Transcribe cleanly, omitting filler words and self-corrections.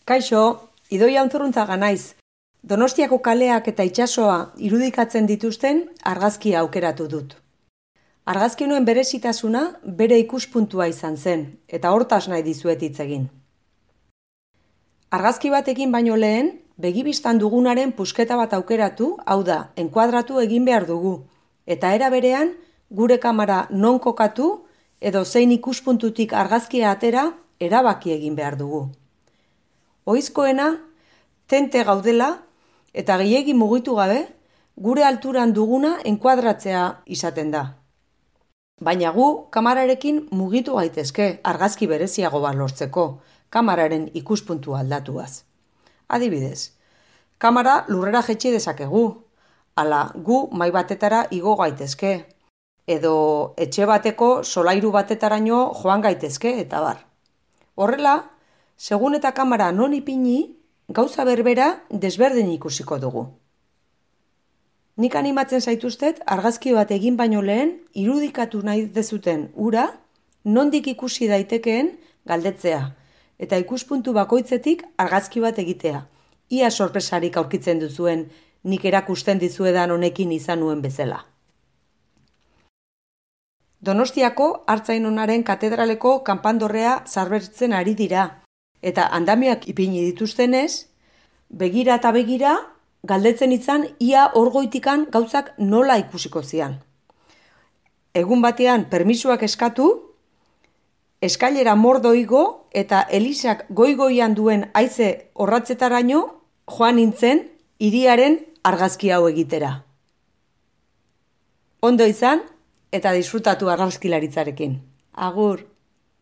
Kaixo, Idoia Unzurruntzaga naiz. Donostiako kaleak eta itsasoa irudikatzen dituzten argazkia aukeratu dut. Argazki honen berezitasuna bere ikuspuntua izan zen, eta hortaz nahi dizuet hitz egin. Argazki batekin baino lehen, begibistan dugunaren pusketa bat aukeratu, hau da, enkuadratu egin behar dugu, eta era berean gure kamera non kokatu edo zein ikuspuntutik argazkia atera erabaki egin behar dugu. Ohizkoena, tente gaudela eta gehiegi mugitu gabe, gure alturan duguna enkuadratzea izaten da. Baina gu kamerarekin mugitu gaitezke argazki bereziago bat lortzeko, kameraren ikuspuntua aldatuaz. Adibidez, kamera lurrera jetxi dezakegu, ala gu mahai batetara igo gaitezke, edo etxe bateko solairu batetaraino joan gaitezke eta bar. Horrela, segun eta kamera non ipini, gauza berbera desberdin ikusiko dugu. Nik animatzen zaituztet argazki bat egin baino lehen irudikatu nahi dezuten ura nondik ikusi daitekeen galdetzea eta ikuspuntu bakoitzetik argazki bat egitea. Ia sorpresarik aurkitzen duzuen nik erakusten dizuedan honekin izan nuen bezala. Donostiako Artzainonaren katedraleko kanpandorrea zabaltzen ari dira. Eta andamiak ipini dituztenez, begira eta begira, galdetzen izan ia orgoitikan gauzak nola ikusiko zian. Egun batean permisuak eskatu, eskailera mordo igo eta elizak goi-goian duen haize orratzetaraino joan nintzen hiriaren argazki hau egitera. Ondo izan eta disfrutatu argazkilaritzarekin. Agur!